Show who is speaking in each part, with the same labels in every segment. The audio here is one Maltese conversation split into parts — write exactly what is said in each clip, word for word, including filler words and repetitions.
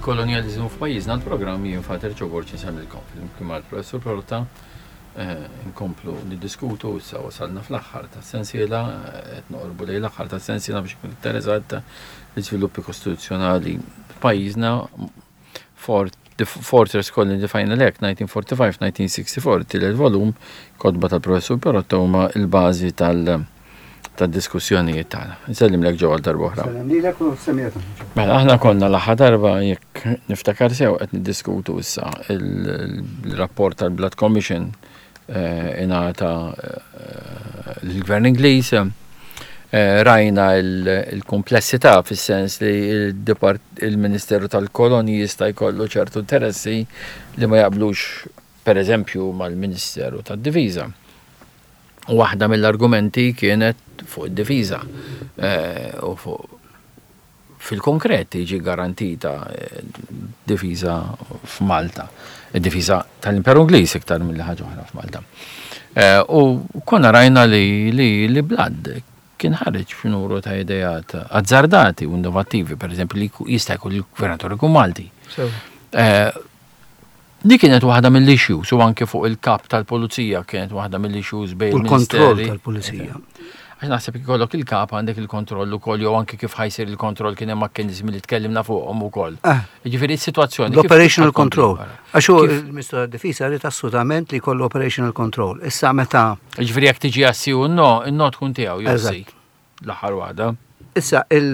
Speaker 1: Il-kolonjalizmu f'pajjiżna, l-programm, jien Father Joe Borg insellmilkom flimkien mal-Professur Pirotta, eh, nkomplu niddiskutu. Issa wasalna fl-aħħar ta' sensiela, qed noqorbu lejn l-aħħar ta' sensiela biex ikun iktar eżatta, l-iżviluppi kostituzzjonali f'pajjiżna, Fort The Fortress Colony, the Final Act, nineteen forty-five nineteen sixty-four, tielet volum, kotba tal-Professur Pirotta huma il-bażi tal- tad-diskussjonijiet tagħna. Nsellimlek, Joe, għal darb'oħra.
Speaker 2: Sellem lilek u semmieta.
Speaker 1: Mela, aħna konna l-aħħar darba, jekk niftakar sew, qed niddiskutu issa il-rapport tal-Blood Commission eh, ingħata eh, l-Gvern Ingliż. Eh, rajna il-komplessità fis-sens li il-Ministeru tal-Koloni jista' jkollu ċertu interessi li ma jaqblux, per eżempju, mal-Ministeru tad-Difiża. U waħda mill-argumenti kienet fuq id-difiża u fuq fil-konkret tiġi garantita eh, difiża f'Malta. Id-difiża tal-Imperu Ingliż iktar mill ħaġa oħra f'Malta. Eh, U konna rajna li li li Blood kien ħareġ f'numru ta' idejat azzardati u innovattivi, per eżempju li jista' jkun il-gvernatur ikun Malti. Eh, Di kienet waħda mill-issues u anke fuq il-kap tal-pulizija kienet waħda mill-issues bejn
Speaker 2: U l-kontroll
Speaker 1: il-ministeri.
Speaker 2: tal-pulizija.
Speaker 1: Għax naħseb ikollok il-kap, għandek il-kontroll ukoll, jew anke kif ħa jsir il-kontroll, kien hemm mekkaniżmi li tkellimna fuqhom ukoll.
Speaker 2: Ah.
Speaker 1: Jiġifieri s-sitwazzjoni kif
Speaker 2: L-operational
Speaker 1: tkompli
Speaker 2: control.
Speaker 1: wara?
Speaker 2: Għax hu
Speaker 1: Kif-
Speaker 2: il-Ministru tad-Difiża rrid assolutament li jkollu operational control. Issa meta
Speaker 1: Jiġifieri jekk tiġi għas-sì u no, in-no tkun tiegħu jew sì.
Speaker 2: Eżatt.
Speaker 1: L-aħħar waħda.
Speaker 2: Issa il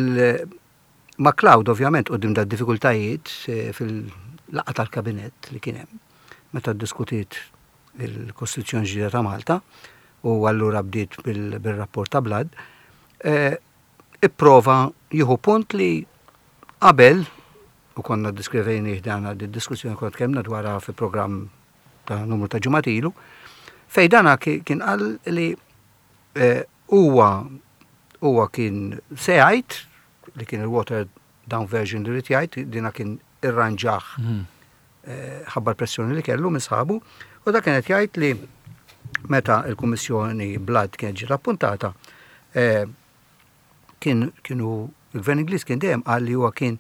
Speaker 2: MacLeod ovvjament quddiem da diffikultajiet eh, fil-laqgħa tal-kabinett li kien hemm meta ddiskutiet il-Kostituzzjoni ġdida ta' Malta u allura bdiet bil- bil-rapport ta' Blood, eh, ipprova jieħu punt li qabel u konna diskrivejni dan di diskussjoni konna tkellmna dwarha fi programm ta' numru ta' ġimgħat ilu, fej dana ki- kien qal li eh, huwa huwa kien se jgħid li kien il-watered down version li rrid jgħid, dina kien irranġaħ
Speaker 1: Mhm.
Speaker 2: eh, ħabba l-pressjoni li kellu minn sħabu, u da kienet jgħid li meta il-Kummissjoni Blood kienet ġiet appuntata, eh, kien kienu il-Gvern Ingliż kien dejjem qal li huwa kien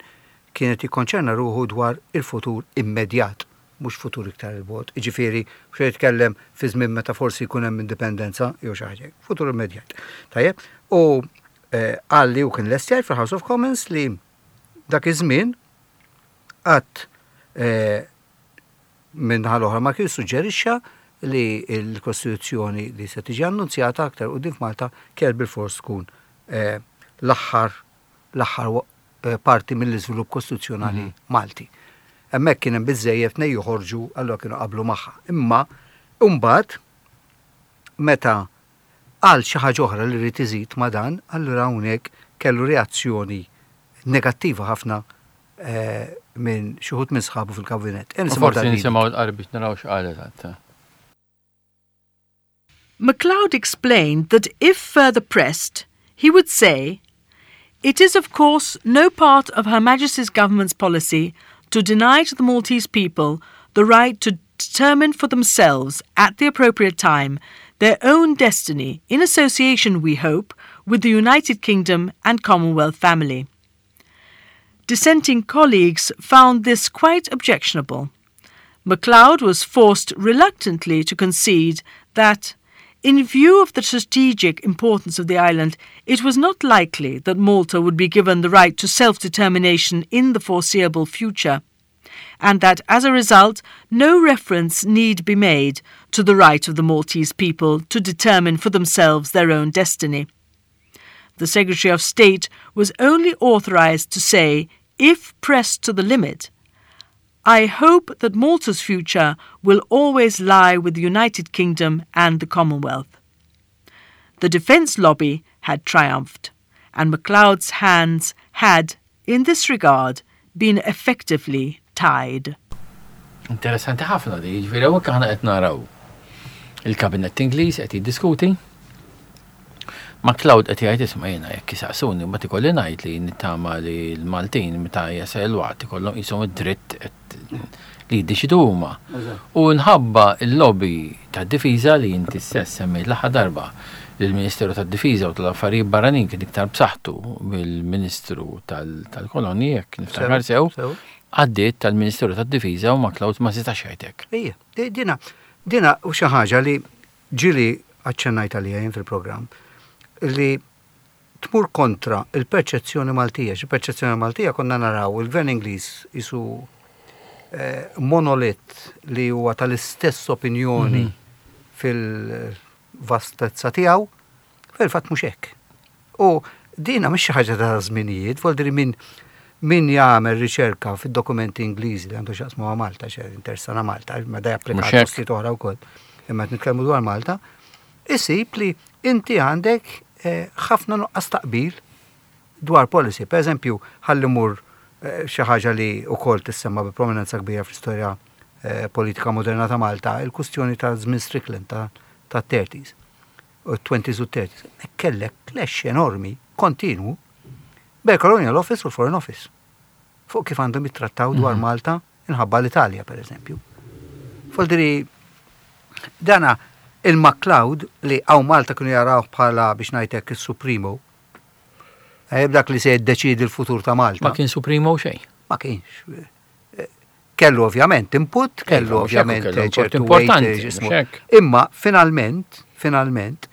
Speaker 2: kienet jikkonċerna ruħu dwar il-futur immedjat, mhux futur iktar il-bogħod. Jiġifieri, mhux jitkellem fi żmien meta forsi jkun hemm indipendenza jew xi ħaġa, futur immedjat. Tajjeb, u eh, qal li u kien lest jgħid fil-House of Commons li dak iż-żmien qatt eh, minn l-oħra ma kien suġġerixxa li l-Kostituzzjoni li se tiġi annunzjata aktar quddiem f'Malta kell bil-fors tkun eh, l-aħħar l-aħħar eh, parti mill-iżvilupp kostituzzjonali Malti. Hemmhekk kien hemm biżejjed nej joħorġu, allura kienu qablu magħha. Imma mbagħad meta qal xi ħaġa oħra li rrid iżid ma' dan, allura hawnhekk kellu reazzjoni negattiva ħafna eh, minn xi wħud minn sħabu fil-kabinett.
Speaker 1: U
Speaker 2: Nisimgħu
Speaker 1: forsi
Speaker 2: dal-video.
Speaker 1: nisimgħu l-qari biex naraw x'qal eżatt.
Speaker 3: MacLeod explained that if further pressed, he would say, "It is, of course, no part of Her Majesty's government's policy to deny to the Maltese people the right to determine for themselves, at the appropriate time, their own destiny, in association, we hope, with the United Kingdom and Commonwealth family." Dissenting colleagues found this quite objectionable. MacLeod was forced reluctantly to concede that, in view of the strategic importance of the island, it was not likely that Malta would be given the right to self determination in the foreseeable future, and that as a result, no reference need be made to the right of the Maltese people to determine for themselves their own destiny. The Secretary of State was only authorized to say, if pressed to the limit, "I hope that Malta's future will always lie with the United Kingdom and the Commonwealth." The defence lobby had triumphed, and MacLeod's hands had, in this regard, been effectively tied.
Speaker 1: Interessanti ħafna di, ġifieri hawnhekk aħna qed naraw il-kabinett Ingliż qed jiddiskuti. MacLeod qed jgħid, "Isma', jiena jekk isaqsuni ma ikolli ngħid li nittama li l-Maltin meta jasal il-waqt ikollhom qishom id-dritt qed li jiddeċidu huma." U nħabba il-lobby tad-difiża li inti stess semmejt l-aħħar darba, li l-Ministeru tad-Difiża u tal-Affarijiet Barranin kien iktar b'saħħtu mill-Ministru tal-Kolonji, jekk niftakar sew.
Speaker 2: Sew.
Speaker 1: Għaddiet tal-Ministeru tad-Difiża u MacLeod ma setax jgħidlek.
Speaker 2: Ija, dina, dina u xi ħaġa li ġieli aċċennajt għalija jien fil-programm, li tmur kontra il-perċezzjoni Maltija. Il-perċezzjoni Maltija konna naraw il-Gvern Ingliż qisu eh, monolit li huwa tal-istess opinjoni mhm. fil-vastezza tiegħu, fil-fatt mhux hekk. U dina mhix xi ħaġa ta' żminijiet, vuol min min jagħmel riċerka fid-dokumenti Ingliżi li għandu x'jaqsmu ma' Malta, xe interessana Malta, ma da japplika postijiet oħra wkoll. Imma qed nitkellmu dwar Malta, isib li inti għandek eh, ħafna nuqqas taqbil dwar policy. Per eżempju, ħalli mur eh, xi ħaġa li wkoll tissemma bi prominenza kbira fl-istorja eh, politika moderna ta' Malta, il-kustjoni ta' żmien Strickland ta' ta' thirties, u twenties u thirties. Kellek clash enormi, kontinu, bejn Colonial Office u l-Foreign Office. Fuq kif għandhom jittrattaw dwar mhm. Malta inħabba l-Italja, per eżempju. Vuoldiri, dana il-MacLeod li hawn Malta kienu jaraw bħala, biex ngħidlek, il-Supremo, eh, dak li se jiddeċidi l-futur ta' Malta.
Speaker 1: Ma kien Supremo xejn.
Speaker 2: Ma kienx. Eh, kellu ovvjament input, kellu
Speaker 1: Iva,
Speaker 2: ovvjament
Speaker 1: ċertu
Speaker 2: importanti. Imma finalment, finalment,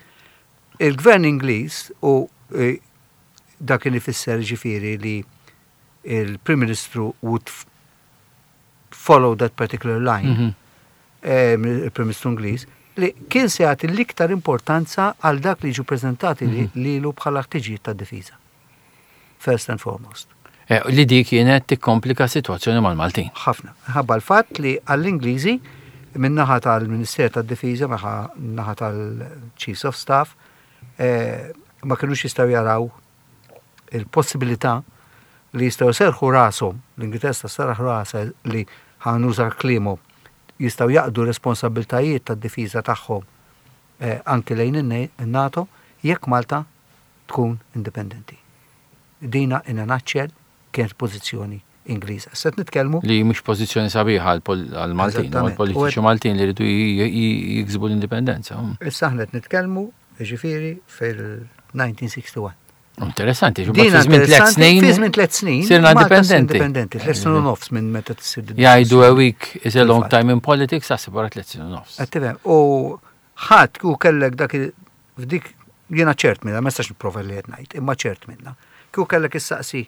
Speaker 2: il-gvern Ingliż u eh, dak kien ifisser ġifieri li il-Prim Ministru would follow that particular line, mm -hmm. il-Prim Ministru Ingliż, li kien se jagħti l-iktar importanza għal dak li ġu preżentati mm -hmm. lilu bħala ħtiġijiet ta' difiża. First and foremost.
Speaker 1: Eh, li di kienet tikkomplika situazzjoni mal-Maltin.
Speaker 2: Ħafna. Ħabba l-fatt li għall-Ingliżi min-naħa tal-Ministeru tad-Difiża, naħa tal-Chiefs of Staff, eh, ma kienux jistgħu jaraw il-possibilità li jistgħu serħu rashom, l-Ingilterra serraħ rasha li, ħa nuża kliemhom, jistgħu jaqdu responsabiltajiet tad-difiża tagħhom eh, anki lejn in-NATO jekk Malta tkun indipendenti. Dina in a nutshell kienet pożizzjoni Ingliża. Se nitkellmu
Speaker 1: li mhux pożizzjoni sabiħa għal-Maltin, għal-politiċi Maltin li rridu jiksbu l-indipendenza.
Speaker 2: Issa aħna qed nitkellmu ġifieri fil-elf disa' mija u wieħed u sittin.
Speaker 1: Interessanti, fi żmien tliet snin.
Speaker 2: Fi żmien tliet snin.
Speaker 1: Sirna indipendenti.
Speaker 2: Indipendenti, tliet snin u nofs minn meta tsir.
Speaker 1: Jgħidu "a week is a long time in politics", għasib wara tliet snin u nofs.
Speaker 2: U ħadd u kellek dak f'dik, jiena ċert minna, ma nistax nipprova li qed ngħid, imma ċert minna. Kieku kellek issaqsi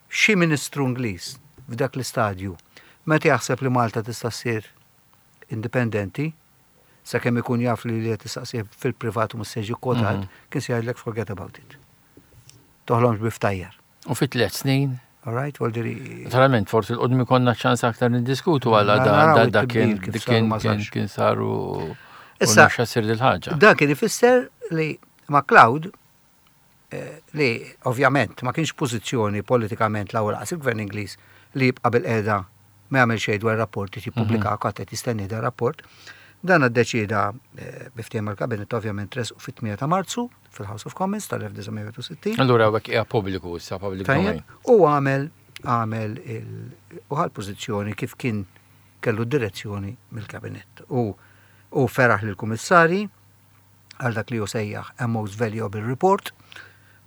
Speaker 2: xi ministru Ingliż f'dak l-istadju meta jaħseb li Malta tista' ssir indipendenti, sakemm ikun jaf li li qed tistaqsih fil-privat u mhux se jiġi kwotat, mhm. kien se jgħidlek "forget about it". Toħlomx bi ftajjar.
Speaker 1: U fi tliet snin?
Speaker 2: All right, vuoldiri.
Speaker 1: Naturalment, forsi 'l quddiem ikollna ċans aktar niddiskutu għala da da kien kien kien saru. Issa sir dil-ħaġa.
Speaker 2: Da kien ifisser li MacLeod eh, li ovvjament ma kienx pożizzjoni politikament l-ewwel il-gvern Ingliż li jibqa' bil-qiegħda ma jagħmel xejn dwar rapporti jippubblika mhm. qed jistenni da rapport. Dan iddeċida eh, bi ftehim mal-kabinet ovvjament res fit-tmienja ta' Marzu fil-House of Commons tal-elf disa' mija u sittin.
Speaker 1: Allura għek hija pubbliku issa, public domain.
Speaker 2: U għamel għamel u ħal pożizzjoni kif kien kellu direzzjoni mill-kabinet. U u feraħ lill-kummissarji għal dak li hu sejjaħ a most valuable report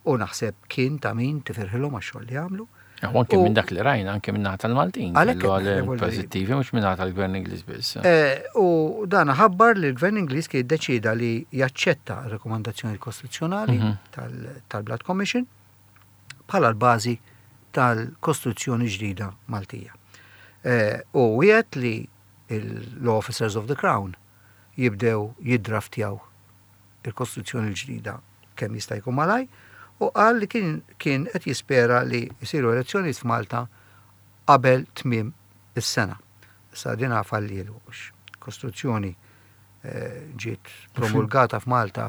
Speaker 2: u naħseb kien ta' min tifirħilhom għax-xogħol li għamlu.
Speaker 1: U anke minn dak li rajna, anke minn naħa tal-Maltin. Għalhekk pożittivi, mhux minn naħa tal-Gvern Ingliż biss.
Speaker 2: Eh, u dan ħabbar li l-Gvern Ingliż kien iddeċida li jaċċetta rekomandazzjoni kostituzzjonali mhm. tal-Blood Commission bħala l-bażi tal-Kostituzzjoni ġdida Maltija. Eh, u wiegħed li l-Officers of the Crown jibdew jiddraftjaw il-Kostituzzjoni l-ġdida kemm jista' jkun malaj u qal li kien kien qed jispera li jsiru elezzjonijiet f'Malta qabel tmiem is-sena. Issa din fallielu, Kostituzzjoni eh, ġiet promulgata f'Malta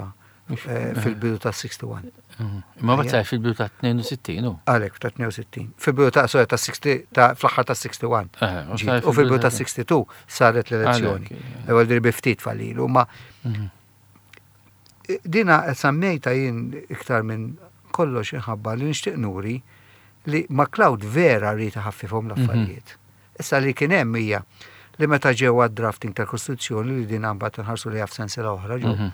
Speaker 2: eh, fil-bidu ta' wieħed u sittin.
Speaker 1: Mhm. Ma bat fil-bidu ta' tnejn u sittin, u?
Speaker 2: Għalek, ta' tnejn u sittin. Fil-bidu ta', sorry, ta' sittin, ta' fl-aħħar ta' wieħed u sittin. U fil-bidu ta' sitta u sittin saret l-elezzjoni. Ewwel bi ftit fallilu, ma mhm. dina sammejta jien iktar minn kollox inħabba li nixtieq nuri li MacLeod vera rrid ħaffifhom l-affarijiet. Mhm. Issa li kien hemm hija li meta ġew għad-drafting tal-Kostituzzjoni, li din mbagħad nħarsu li f'sensiela oħra ġew. Mhm.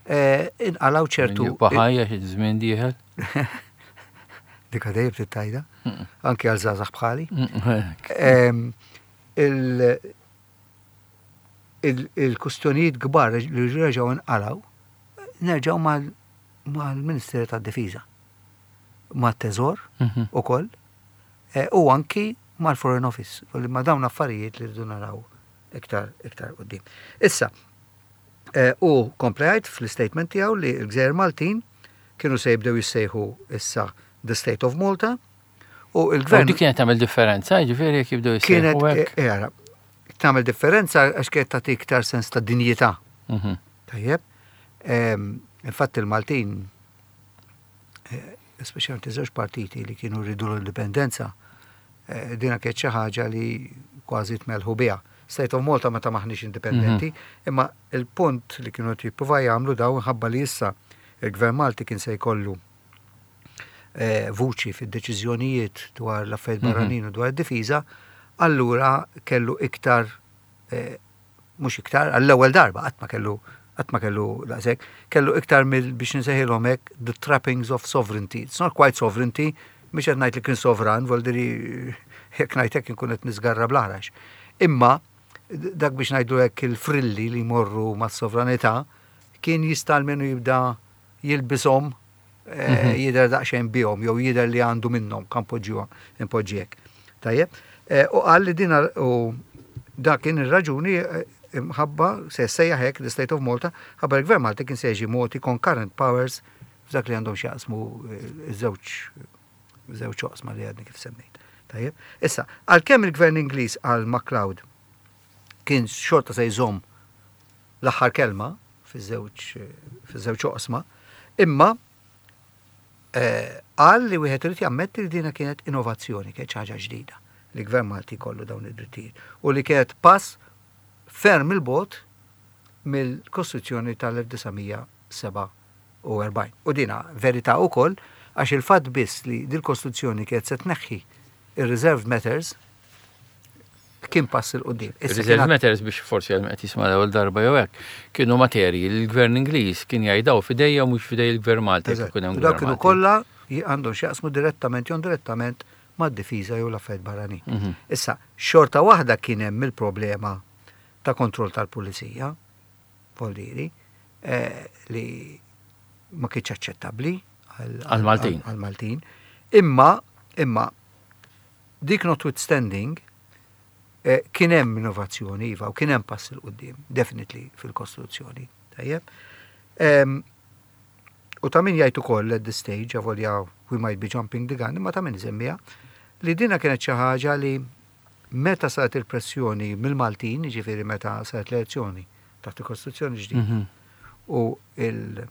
Speaker 2: Eh, inqalaw ċertu.
Speaker 1: Baħajja xi żmien dieħel.
Speaker 2: Dika dejjem tittajda, anki għal żgħażagħ bħali. Em, il- il- Il-kustjonijiet kbar li reġgħu nqalgħu, nerġgħu mal- mal-Ministeru tad-Difiża, mat-Teżor
Speaker 1: Mhm.
Speaker 2: ukoll, eh, u anki mal-Foreign Office, u li ma dawn affarijiet li rridu naraw iktar iktar quddiem. Issa, eh, u kompla jgħid fl-statement tiegħu li l-Gżejjer Maltin kienu se jibdew jissejħu issa the State of Malta u
Speaker 1: U
Speaker 2: il-gvern
Speaker 1: dik kienet tagħmel differenza, ġifieri jekk jibdew
Speaker 2: kienet
Speaker 1: jissejħu hekk.
Speaker 2: eh, ara, tagħmel differenza għax kienet tagħti iktar sens ta' dinjità.
Speaker 1: Mhm.
Speaker 2: Tajjeb. Em, Infatti il-Maltin, eh, speċjalment iż-żewġ partiti li kienu rridu l-indipendenza, eh, dina kienet xi ħaġa li kważi tmelħu biha. State of Malta meta maħniex indipendenti, imma il-punt li kienu qed jippruvaw jagħmlu daw ħabba li issa il-Gvern Malti kien se jkollu eh, vuċi fid-deċiżjonijiet dwar l-affarijiet
Speaker 1: Mhm.
Speaker 2: barranin u dwar id-difiża, allura kellu iktar eh, mhux iktar, għall-ewwel darba qatt ma kellu qatt ma kellu daqshekk, kellu iktar mill biex nsejħilhom hekk the trappings of sovereignty. It's not quite sovereignty, mhix qed ngħid li kien sovran, voldiri jekk ngħid hekk inkun qed niżgarra bl-aħrax. Imma dak biex ngħidu hekk il-frilli li jmorru mas-sovranità kien jista' almenu jibda jilbishom eh, jidher daqsxejn bihom jew jidher li għandu minnhom kan poġġuha impoġġi hekk. Tajjeb, Eh, u qal li din u dak kien ir-raġuni eh, imħabba se sejjaħ hekk the State of Malta, ħabba l-Gvern Malti kien se jiġi mogħti concurrent powers f'dak li għandhom x'jaqsmu eh, iż-żewġ żewġ oqsma li għadni kif semmejt. Tajjeb. Issa, għalkemm il-Gvern Ingliż għal MacLeod kien xorta se jżomm l-aħħar kelma fiż-żewġ fiż-żewġ oqsma, imma eh, qal li wieħed irid jammetti li dina kienet innovazzjoni, kienet xi ħaġa ġdida li gvern Malti kollu dawn id-drittijiet u li kienet pass ferm il-bogħod mill-Kostituzzjoni tal-elf disa' mija sebgħa u erbgħin. U dina verità ukoll għax il-fatt biss li dil-Kostituzzjoni kienet se tneħħi ir-reserved matters kien pass 'il quddiem. Issa
Speaker 1: Reserve
Speaker 2: kien
Speaker 1: matters biex forsi għal qed jisma' l-ewwel darba jew hekk, kienu materji li l-Gvern Ingliż kien jgħidaw f'idejja u mhux f'idej il-Gvern Malti jekk
Speaker 2: Eżatt.
Speaker 1: ikun hemm
Speaker 2: U Dawk
Speaker 1: Gvern
Speaker 2: kienu
Speaker 1: Malti.
Speaker 2: kollha għandhom x'jaqsmu direttament jew indirettament mad-difiża jew l-affarijiet barranin.
Speaker 1: Mhm.
Speaker 2: Issa, xorta waħda kien hemm il-problema ta' kontroll tal-pulizija, voldiri, eh, li ma kienx aċċettabbli
Speaker 1: Għal-Maltin.
Speaker 2: Għal-Maltin. Imma, imma, dik notwithstanding, eh, kien hemm innovazzjoni, iva, u kien hemm pass 'il quddiem, definitely fil-Kostituzzjoni. Tajjeb. Em, U ta' min jgħid ukoll at this stage, avolja we might be jumping the gun, imma ta' min isemmiha, li dina kienet xi ħaġa li meta saret il-pressjoni mill-Maltin, ġifieri meta saret l-elezzjoni taħt il-Kostituzzjoni ġdida,
Speaker 1: Mhm.
Speaker 2: u il-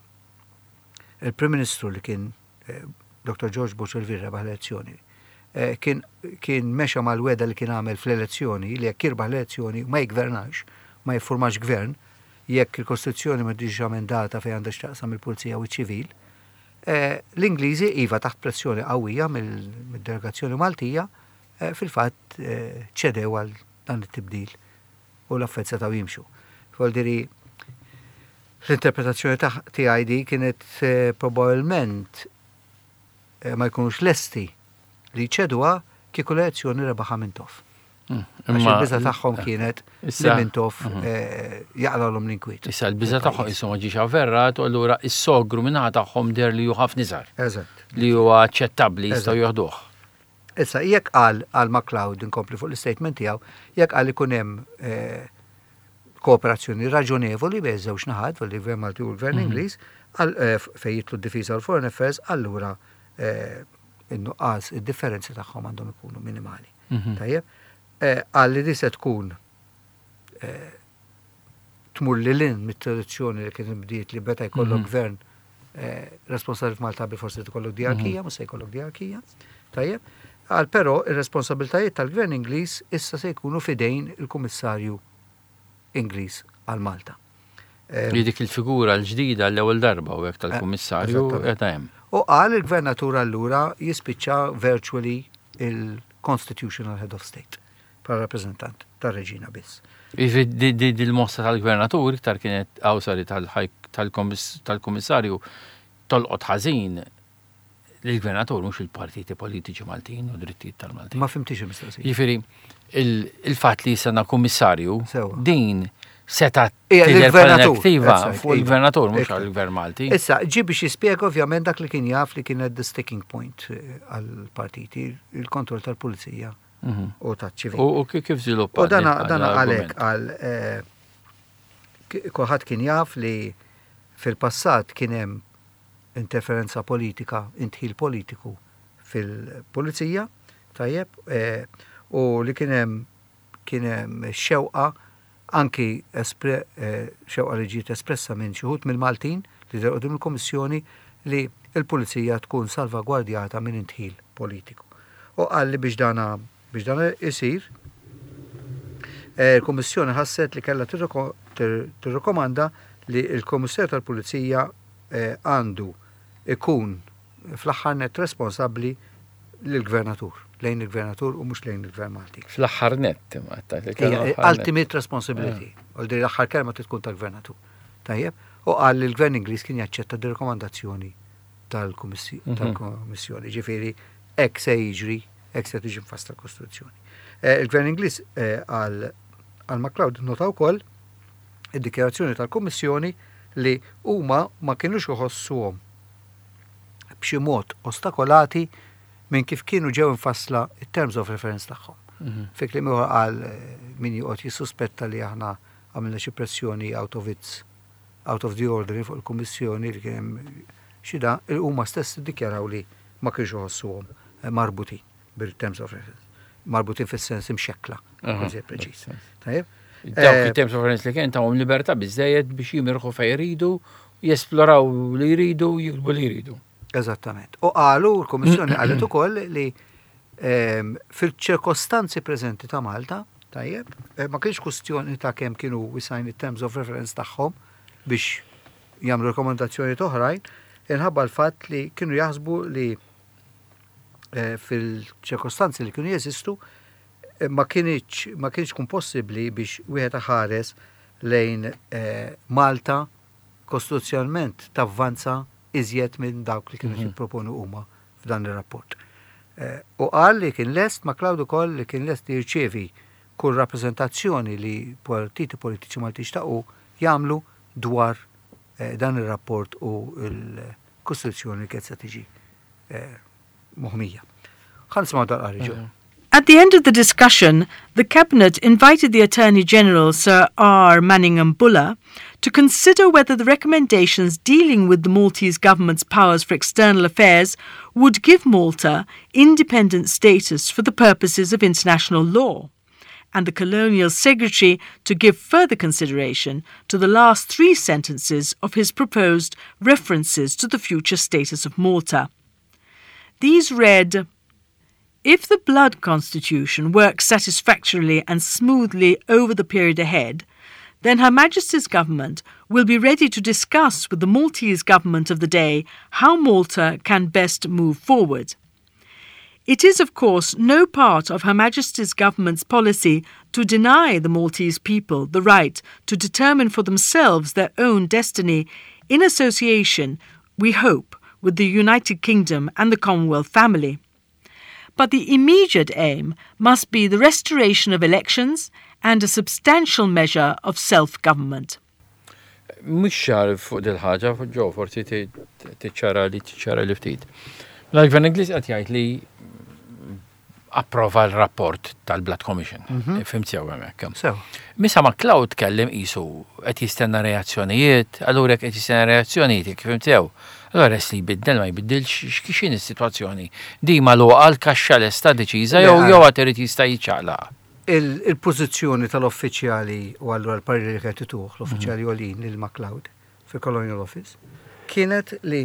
Speaker 2: il-Prim Ministru li kien eh, Doktor George Borg Olivier rebaħ l-elezzjoni, eh, kien, kien mexa mal-wegħda li kien għamel fl-elezzjoni li jekk jirbaħ l-elezzjoni ma jgvernax, ma jiffurmax gvern, jekk il-Kostituzzjoni ma tiġix emendata fejn għandha x'taqsam il-Pulizija u ċ-ċivil, eh, l-Ingliżi iva taħt pressjoni qawwija mill- mid-delegazzjoni Maltija eh, fil-fatt eh, ċedew għal dan it-tibdil u l-affarijiet setgħu jimxu. Voldiri, l-interpretazzjoni ta' tiegħi di kienet eh, probabbilment eh, ma jkunux lesti li ċeduha kieku l-elezzjoni rebaħa Mintoff.
Speaker 1: Mm.
Speaker 2: Għax
Speaker 1: Imma
Speaker 2: il-biża tagħhom kienet li
Speaker 1: Issa-
Speaker 2: Mintoff
Speaker 1: Mhm.
Speaker 2: eh, jaqlalhom l-inkwiet.
Speaker 1: Issa l-biża tagħhom issa ma ġiex avverrat u allura is-sogru minnaħa tagħhom der li hu ħafna iżgħar
Speaker 2: Eżatt.
Speaker 1: li huwa aċċettabbli jistgħu
Speaker 2: Eżatt.
Speaker 1: joħduh.
Speaker 2: Issa, jekk qal għal MacLeod inkompli fuq l-statement tiegħu, jekk qal ikun hemm eh, kooperazzjoni raġonevoli bejn żewġ naħat, fuq il-Gvern Malti u l-Gvern Ingliż, għal- eh, fejn jidħlu d-difiża u l-Foreign Affairs, allura eh, in-nuqqas, id-differenzi tagħhom għandhom ikunu minimali.
Speaker 1: Mhm.
Speaker 2: Tajjeb, Eh, qal li di se tkun eh, tmur lil hinn mit-tradizzjoni li kien bdiet li beta jkollok
Speaker 1: Mhm.
Speaker 2: gvern eh, responsabbli f'Malta bi forsi tkollok diarkija, mhux se jkollok diarkija. Tajjeb, qal però ir-responsabiltajiet tal-gvern Ingliż issa se jkunu fidejn il-Kummissarju Ingliż għal Malta. Eh,
Speaker 1: Li dik il-figura l-ġdida l-ewwel darba u hekk tal-kummissarju
Speaker 2: eżattament.
Speaker 1: qed hemm.
Speaker 2: U qal il-gvernatur allura jispiċċa virtually il-Constitutional Head of State bħala rappresentant tar-reġina biss.
Speaker 1: Jiġifieri di dil-mossa tal-gvernatur iktar kienet awsari tal-kummissarju tolqot ħażin Lill-gvernatur, mhux il-partiti politiċi Maltin u drittijiet tal-Maltin.
Speaker 2: Ma fhimtx il-mistoqsija.
Speaker 1: Jiġifieri, il-fatt li jisana kummissarju,
Speaker 2: Sewa.
Speaker 1: din seta
Speaker 2: Ija,
Speaker 1: tidher bħala
Speaker 2: l-gvernatur,
Speaker 1: negattiva
Speaker 2: that's right,
Speaker 1: fuq
Speaker 2: iva.
Speaker 1: il-gvernatur, mhux
Speaker 2: Ekku.
Speaker 1: għall-gvern Malti.
Speaker 2: Issa, ġi biex jispjega ovvjament dak li kien jaf li kienet the sticking point eh, għal-partiti, il-kontroll tal-pulizija
Speaker 1: Mhm.
Speaker 2: u tal-ċivil.
Speaker 1: U u kif żviluppa?
Speaker 2: U dana
Speaker 1: din-
Speaker 2: dana
Speaker 1: l-argument?
Speaker 2: għalek għal eh, k- kulħadd kien jaf li fil-passat kien hemm interferenza politika, indħil politiku fil-pulizija, tajjeb, eh, u li kien hemm kien hemm xewqa anki espre, eh, xewqa li ġiet espressa minn xi wħud mill-Maltin li dehru quddiem il-Kommissjoni li il-pulizija tkun salvagwardjata minn indħil politiku. U qal li biex dana biex dana isir, eh, il-Kommissjoni ħasset li kellha tirroko- tir- tirrekomanda li il-Kommissarju tal-Pulizija eh, għandu ikun fl-aħħar net responsabbli lill-Gvernatur, lejn il-Gvernatur u mhux lejn il-Gvern Malti.
Speaker 1: Fl-aħħar net, imma għattak li kellu
Speaker 2: Ija,
Speaker 1: l-aħħar net.
Speaker 2: ultimate responsibility. U di l-aħħar kelma tkun tal-gvernatur. Tajjeb, u qal li l-gvern Ingliż kien jaċċetta di rekomandazzjoni tal-Kummissi-
Speaker 1: Mhm.
Speaker 2: tal-Kommissjoni. Ġifieri, hekk se jiġri, hekk se tiġi mfassla l-Kostituzzjoni. Eh, Il-gvern Ingliż eh, għal għal MacLeod nota wkoll id-dikjarazzjoni tal-Kummissjoni li huma ma kienux iħossuhom b'xi mod ostakolati minn kif kienu ġew infassla it-terms of reference tagħhom.
Speaker 1: Mhm.
Speaker 2: Fi kliem ieħor qal eh, min joqgħod jissuspetta li aħna għamilna xi pressjoni out of its out of the ordinary fuq il-Kummissjoni li kien hemm xi da, huma stess iddikjaraw li ma kienx iħossuhom eh, marbutin bil-terms of reference. Marbutin fis-sens imxekkla,
Speaker 1: Aha,
Speaker 2: kun preċiż.
Speaker 1: sens.
Speaker 2: Tajjeb?
Speaker 1: Dawk
Speaker 2: Eh,
Speaker 1: il-terms of reference li kien tawhom libertà biżejjed biex jimirħu fejn jridu, jesploraw li jridu, jiktbu li jridu.
Speaker 2: Eżattament. U qalu, l-Kommissjoni qalet ukoll li ehm, fil-ċirkostanzi preżenti ta' Malta, tajjeb, eh, ma kienx kwestjoni ta' kemm kienu wisgħin it-terms of reference tagħhom biex jagħmlu rekomendazzjoni oħrajn, inħabba l-fatt li kienu jaħsbu li eh, fil-ċirkostanzi li kienu jeżistu eh, ma kienx ma kienx kun possibbli biex wieħed ħares lejn eh, Malta kostituzzjonalment tavvanza iżjed minn dawk li kienu
Speaker 1: Mhm.
Speaker 2: jipproponu huma f'dan ir-rapport. Eh, U qal li kien lest MacLeod ukoll li kien lest li jirċievi kull rappreżentazzjoni li partiti politiċi Malti xtaqu jagħmlu dwar eh, dan ir-rapport u l-Kostituzzjoni li kienet se tiġi eh, moħmija. Ħa nisimgħu dal-qari ġo.
Speaker 3: At the end of the discussion, the Cabinet invited the Attorney General, Sir R. Manningham Buller, to consider whether the recommendations dealing with the Maltese government's powers for external affairs would give Malta independent status for the purposes of international law, and the Colonial Secretary to give further consideration to the last three sentences of his proposed references to the future status of Malta. These read, If the Blood Constitution works satisfactorily and smoothly over the period ahead, then Her Majesty's government will be ready to discuss with the Maltese government of the day how Malta can best move forward. It is, of course, no part of Her Majesty's government's policy to deny the Maltese people the right to determine for themselves their own destiny in association, we hope, with the United Kingdom and the Commonwealth family. But the immediate aim must be the restoration of elections and a substantial measure of self government.
Speaker 1: Mhux ċar fuq dil-ħaġa, ġo, forsi tiċċara li tiċċara li ftit. Mela l-Gvern Ingliż qed jgħid li approva l-rapport tal-Blood Commission. Fhimt sew hemmhekk.
Speaker 2: Sew.
Speaker 1: Misa MacLeod tkellem qisu qed jistenna reazzjonijiet, allura jekk qed jistenna reazzjonijiet, jekk fhimt sew. Allura res li jbiddel ma jbiddilx x'in is-sitwazzjoni. Di magħluqa l-kaxxa lesta deċiża jew
Speaker 2: Le,
Speaker 1: jew għad irid jista' jiċċaqlaq.
Speaker 2: Il- Il-pożizzjoni tal-uffiċjali u allura l-pariri li kienet ituh l-uffiċjali għolin lil MacLeod fil-Colonial Office kienet li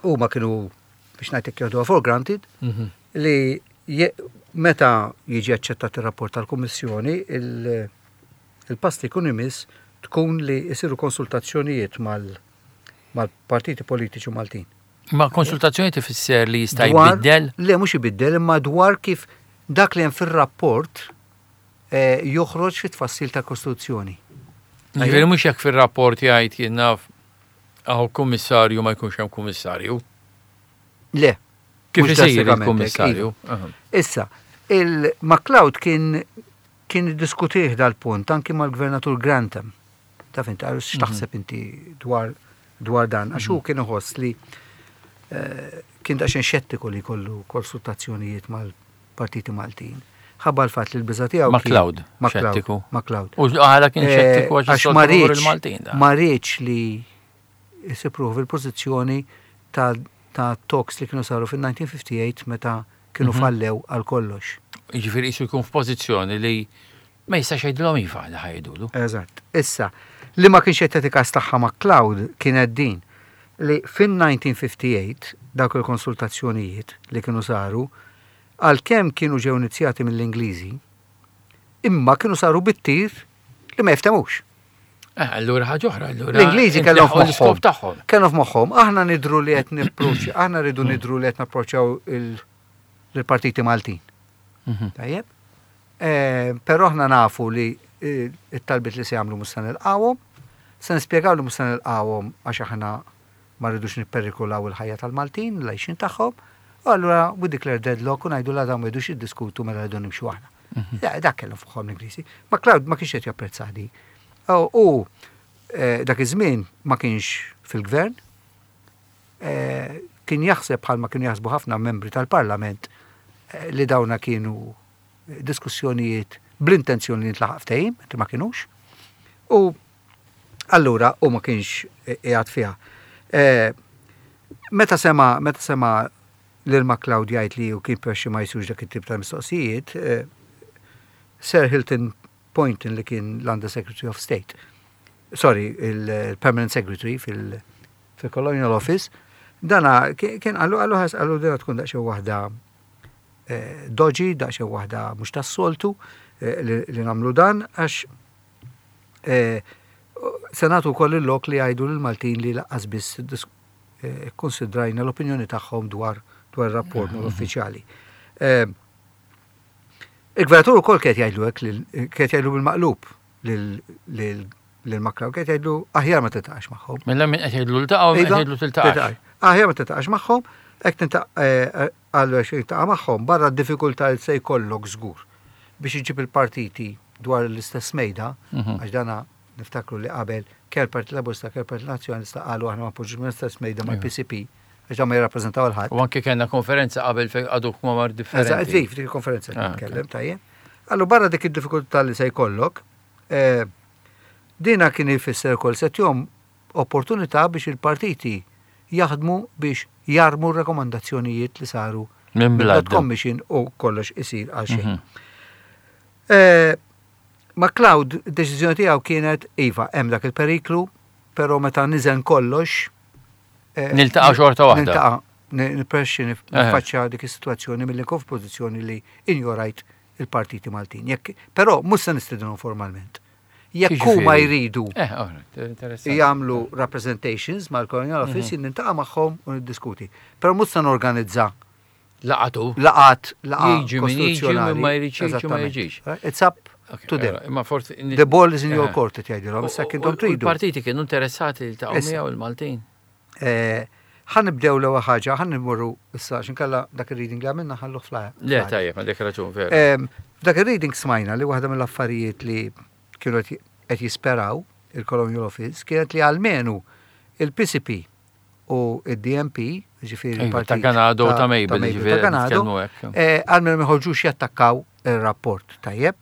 Speaker 2: huma kienu biex ngħidlek jieħduha for granted li je- meta jiġi aċċettat ir-rapport tal-Kummissjoni il- il-pass li jkun imiss tkun li jsiru konsultazzjonijiet mal- mal-partiti politiċi Maltin.
Speaker 1: Ma konsultazzjoni tifisser li jista'
Speaker 2: Dwar-
Speaker 1: jbiddel?
Speaker 2: Le, mhux ibiddel, imma dwar kif dak li hemm fir-rapport eh, joħroġ fit-tfassil ta' Kostituzzjoni.
Speaker 1: Ġifieri mhux jekk fir-rapport jgħid jien naf hawn kummissarju ma jkunx hemm kummissarju.
Speaker 2: Le.
Speaker 1: Kif
Speaker 2: mhux
Speaker 1: isir
Speaker 2: drastikament hekk,
Speaker 1: il-kummissarju?
Speaker 2: iva. Issa, il-MacLeod kien kien diskutih dal-punt anki mal-gvernatur Grantham. Taf inti, għax x'taħseb inti dwar dwar dan, għax hu kien iħoss li eh, kien daqsxejn xettiku li jkollu konsultazzjonijiet mal-partiti Maltin. Ħabba l-fatt li l-biża tiegħu kien-
Speaker 1: MacLeod,
Speaker 2: MacLeod,
Speaker 1: xettiku.
Speaker 2: MacLeod.
Speaker 1: U għala kien
Speaker 2: Eh,
Speaker 1: xettiku għax
Speaker 2: għax
Speaker 1: is-soltu
Speaker 2: ma
Speaker 1: favur
Speaker 2: riedx-
Speaker 1: il-Maltin. da.
Speaker 2: Ma riedx li jsib fil-pożizzjoni ta' ta' talks li kienu saru fil-elf disa' mija u ħamsa u ħamsin meta kienu
Speaker 1: Mhm.
Speaker 2: fallew għal kollox.
Speaker 1: Jiġifieri jisu jkun f'pożizzjoni li ma jistax jgħidilhom iva li ħa jgħidulu.
Speaker 2: Eżatt. Issa, li ma kienx qed jagħti kas tagħha MacLeod kienet din li fin-elf disa' mija u ħamsa u ħamsin dawk il-konsultazzjonijiet li kienu saru għalkemm kienu ġew inizjati mill-Ingliżi, imma kienu saru bit-tir li ma jiftemux.
Speaker 1: Eh, allura ħaġa oħra, allura.
Speaker 2: L-Ingliżi kellhom
Speaker 1: intlaħqu l-iskop
Speaker 2: f'moħħhom.
Speaker 1: tagħhom.
Speaker 2: Kellhom f'moħħhom, aħna nidru li qed nipproċ, aħna rridu nidru li qed napproċċjaw il- il-partiti Maltin.
Speaker 1: Mhm.
Speaker 2: Tajjeb? Eh, Però aħna nafu li eh, it-talbiet li se jagħmlu mhux se nilqawhom, se nispjegaw li mhux se nilqawhom għax aħna ma rridux nipperikolaw il-ħajja tal-Maltin, l-għajxin tagħhom, u allura we declare deadlock u ngħidu la dawn ma jridux jiddiskutu mela rridu nimxu aħna. Da- Dak kellhom fuqhom l-Ingliżi. MacLeod ma kienx qed japprezza di. U u, eh, dak iż-żmien ma kienx fil-gvern, eh, kien jaħseb bħalma kienu jaħsbu ħafna membri tal-Parlament eh, li dawna kienu diskussjonijiet bl-intenzjoni li ntlaħaq ftehim, mentre ma kienux. U allura u ma kienx qiegħed fiha. Eh, Meta sema meta sema lil MacLeod jgħid li u kien prefera ma jsirux dak it-tip ta' mistoqsijiet, eh, Sir Hilton Poynton li kien l-Under Secretary of State, sorry, il-Permanent Secretary fil- fil-Colonial Office, dana kien qallu qallu ħas qallu dina tkun daqsxejn waħda eh, dodgy, daqsxejn waħda mhux tas-soltu eh, li li nagħmlu dan għax eh, se nagħtu wkoll il-lok li jgħidu lill-Maltin li lanqas biss dis- eh, konsidrajna l-opinjoni tagħhom dwar dwar ir-rapport uffiċjali. Eh, Il-gvernatur ukoll kien jgħidlu hekk lil- kien jgħidlu bil-maqlub lil- lil lil MacLeod kien jgħidlu aħjar ma tiltaqax magħhom.
Speaker 1: Mela min qed jgħidlu ltaqgħu min qed
Speaker 2: Iva,
Speaker 1: jgħidlu tiltaqax.
Speaker 2: tiltaqax. Aħjar ma tiltaqax magħhom, hekk tinta' għallu għax tiltaqa' magħhom barra d-diffikultà li se jkollok żgur biex iġib il-partiti dwar l-istess mejda,
Speaker 1: Mhm.
Speaker 2: għax dana niftakru li qabel kemm Partit Laburista, kemm Partit Nazzjonalista qalu aħna ma npoġġux mill-istess mejda mal-P C P, għax dan ma jirrappreżentaw 'l ħadd.
Speaker 1: U anke kellna konferenza qabel fejn għadu kmamar
Speaker 2: Eżatt,
Speaker 1: differenti.
Speaker 2: dik dik il-konferenza
Speaker 1: Ah,
Speaker 2: nitkellem tajjeb. Allu barra dik id-diffikultà li se jkollok, eh, dina kien ifisser ukoll se tihom opportunità biex il-partiti jaħdmu biex jarmu r-rekomandazzjonijiet li saru
Speaker 1: Minn
Speaker 2: mill-Blood
Speaker 1: Blood.
Speaker 2: Commission u kollox isir għal xejn.
Speaker 1: Mhm.
Speaker 2: Eh, MacLeod, id-deċiżjoni tiegħu kienet iva, hemm dak il-periklu, però meta niżen kollox. eh,
Speaker 1: Niltaqa' xorta waħda.
Speaker 2: Niltaqa' nippreferi niffaċċja dik is-sitwazzjoni milli nkun f'pożizzjoni li injorajt il-partiti Maltin. Jekk, però mhux se nistedinhom formalment. Jekk huma
Speaker 1: Jiġifieri?
Speaker 2: jridu
Speaker 1: Eh, alright, interessanti.
Speaker 2: jagħmlu representations mal-Colonial Office, jien niltaqa' magħhom u niddiskuti. Però mhux se norganizza
Speaker 1: Laqatu.
Speaker 2: laqat laqgħa
Speaker 1: Jiġi min jiġi,
Speaker 2: kostituzzjonali.
Speaker 1: min ma jridx jiġi, ma
Speaker 2: Eżattament.
Speaker 1: jiġix.
Speaker 2: It's up
Speaker 1: Ok,
Speaker 2: to them.
Speaker 1: allora, Imma forsi.
Speaker 2: The ball is in your
Speaker 1: Eh.
Speaker 2: court, qed jgħidilhom, issa
Speaker 1: U-
Speaker 2: intom
Speaker 1: u- u
Speaker 2: tridu.
Speaker 1: Il-partiti kienu interessati li ta'
Speaker 2: Issa.
Speaker 1: miegħu il-Maltin.
Speaker 2: Eh, Ħa nibdew l-ewwel ħaġa, ħa nimorru issa x'inkella dak ir-reading li għamilna ħallu fl
Speaker 1: Le, tajjeb, għandek raġun, vera.
Speaker 2: Em, F'dak ir-reading smajna li waħda mill-affarijiet li kienu qed qed jisperaw il-Colonial Office kienet li almenu il-P C P u il-D M P, ġifieri
Speaker 1: Iva,
Speaker 2: il-partit
Speaker 1: ta' Ganado u ta' Mabel, ġifieri
Speaker 2: ta' Ganado,
Speaker 1: nitkellmu hekk.
Speaker 2: eh, almenu ma jħorġux jattakkaw il-rapport, tajjeb.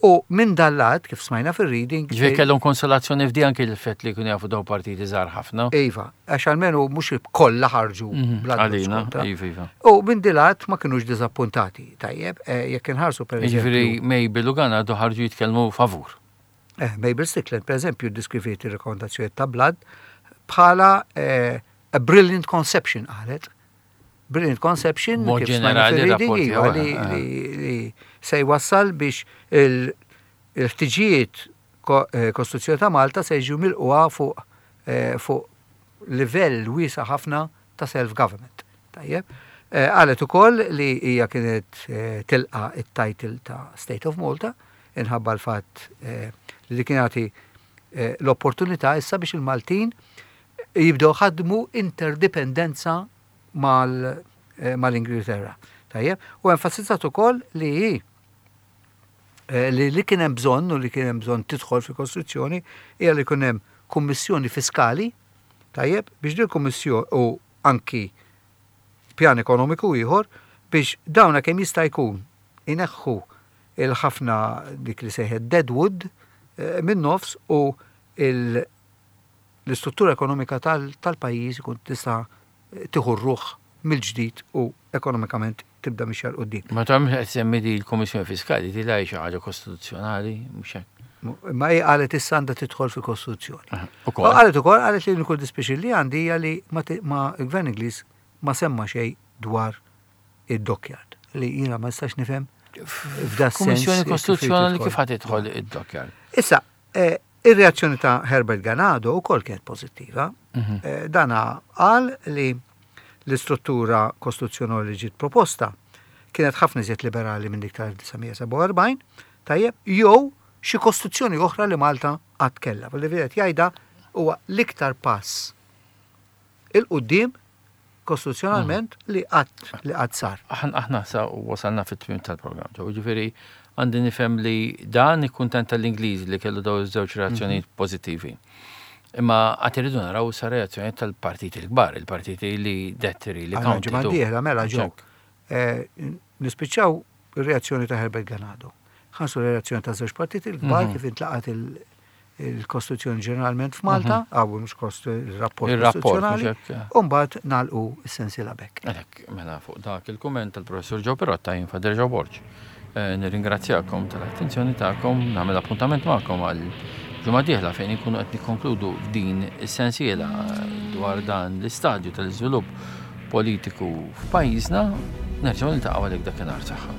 Speaker 2: U minn dal-lat, kif smajna fil-reading,
Speaker 1: Ġifieri kellhom konsolazzjoni f'di anke l-fett li kienu jafu daw partiti żgħar ħafna.
Speaker 2: Iva, għax almenu mhux kollha ħarġu
Speaker 1: Mhm,
Speaker 2: bla
Speaker 1: Għalina,
Speaker 2: kontra.
Speaker 1: iva, iva.
Speaker 2: U minn dilat ma kienux diżappuntati, tajjeb, eh, jekk inħarsu per
Speaker 1: Ġifieri
Speaker 2: eżempju.
Speaker 1: Mabel u Ganado ħarġu jitkellmu favur.
Speaker 2: Eh, Mabel Strickland, per eżempju, deskriviet il-rekomendazzjoni ta' Blood bħala eh, a brilliant conception, qalet. Brilliant conception,
Speaker 1: Mod
Speaker 2: kif smajna
Speaker 1: ġenerali
Speaker 2: fil-reading,
Speaker 1: rapporti,
Speaker 2: iva,
Speaker 1: eh,
Speaker 2: li,
Speaker 1: eh.
Speaker 2: li, li se jwassal biex il- il-ħtiġijiet ko- eh, Kostituzzjoni ta' Malta se jiġu milquha fuq eh, fuq livell wiesa ħafna ta' self-government. Tajjeb. Eh, Qalet ukoll li hija kienet eh, tilqa it-title ta' State of Malta inħabba l-fatt eh, li kien jagħti eh, l-opportunità issa biex il-Maltin jibdew ħadmu interdipendenza eh, mal-Ingilterra. Tajjeb, u enfasizzat ukoll li hi eh, li li kien hemm bżonn u li kien hemm bżonn tidħol fil-Kostituzzjoni hija li kien hemm kummissjoni fiskali, tajjeb, biex din kummissjoni u anki pjan ekonomiku ieħor biex dawna kemm jista' jkun ineħħu il-ħafna dik li sejħet deadwood eh, minn nofs u il- l-istruttura ekonomika tal- tal-pajjiż ikun tista' tieħu ruħ mill-ġdid u ekonomikament tibda mixja 'l quddiem.
Speaker 1: Ma ta' qed semmi di l-Kummissjoni Fiskali, di la xi ħaġa kostituzzjonali, mhux hekk.
Speaker 2: Ma hi qalet issa għandha tidħol fil-Kostituzzjoni. U
Speaker 1: Ukoll.
Speaker 2: qalet ukoll qalet li l dispjaċir li għandi hija li ma ti- ma il-Gvern Ingliż ma semma xejn dwar id-dockyard li jiena ma nistax nifhem f'da sens.
Speaker 1: Kummissjoni
Speaker 2: kif
Speaker 1: Kostituzzjonali
Speaker 2: tidħol.
Speaker 1: kif ħad tidħol id-dockyard?
Speaker 2: Issa, eh, ir-reazzjoni ta' Herbert Ganado ukoll kienet pożittiva.
Speaker 1: Mhm.
Speaker 2: Eh, Dana qal li l-istruttura kostituzzjonali li ġiet proposta kienet ħafna iżjed liberali minn dik tal-elf disa' mija sebgħa u erbgħin, tajjeb, jew xi kostituzzjoni oħra li Malta qatt kellha. Li qed jgħidha huwa l-iktar pass 'il quddiem kostituzzjonalment li qatt li qatt sar.
Speaker 1: Aħna aħna sa wasalna fit-tmiem tal-programm. Ġew ġifieri għandi nifhem li dan ikkuntent tal-Ingliż li kellu daw iż-żewġ reazzjonijiet pożittivi. Imma għad irridu naraw sa reazzjonijiet tal-partiti l-kbar, il-partiti li detteri, li
Speaker 2: Għandna ġimgħa
Speaker 1: counted.
Speaker 2: dieħla mela ġew. Eh, Nispiċċaw ir-reazzjoni ta' Herbert Ganado. Ħansu reazzjoni ta' żewġ partiti l-kbar
Speaker 1: Mhm.
Speaker 2: kif intlaqat il- il-Kostituzzjoni ġeneralment f'Malta, għaw mhux kost il-rapport
Speaker 1: Il-rapport,
Speaker 2: kostituzzjonali,
Speaker 1: mhux hekk.
Speaker 2: u mbagħad nagħlqu s-sensiela b'hekk.
Speaker 1: Għalhekk, mela fuq dak il-kumment tal-professor Joe Pirotta jien Father Joe Borg. Eh, Nirringrazzjakom tal-attenzjoni tagħkom, nagħmel appuntament magħkom għal ġimgħa dieħla fejn inkunu qed nikkonkludu din is-sensiela dwar dan l-istadju tal-iżvilupp politiku f'pajjiżna. Nerġgħu niltaqgħu għalhekk dakinhar saħħa.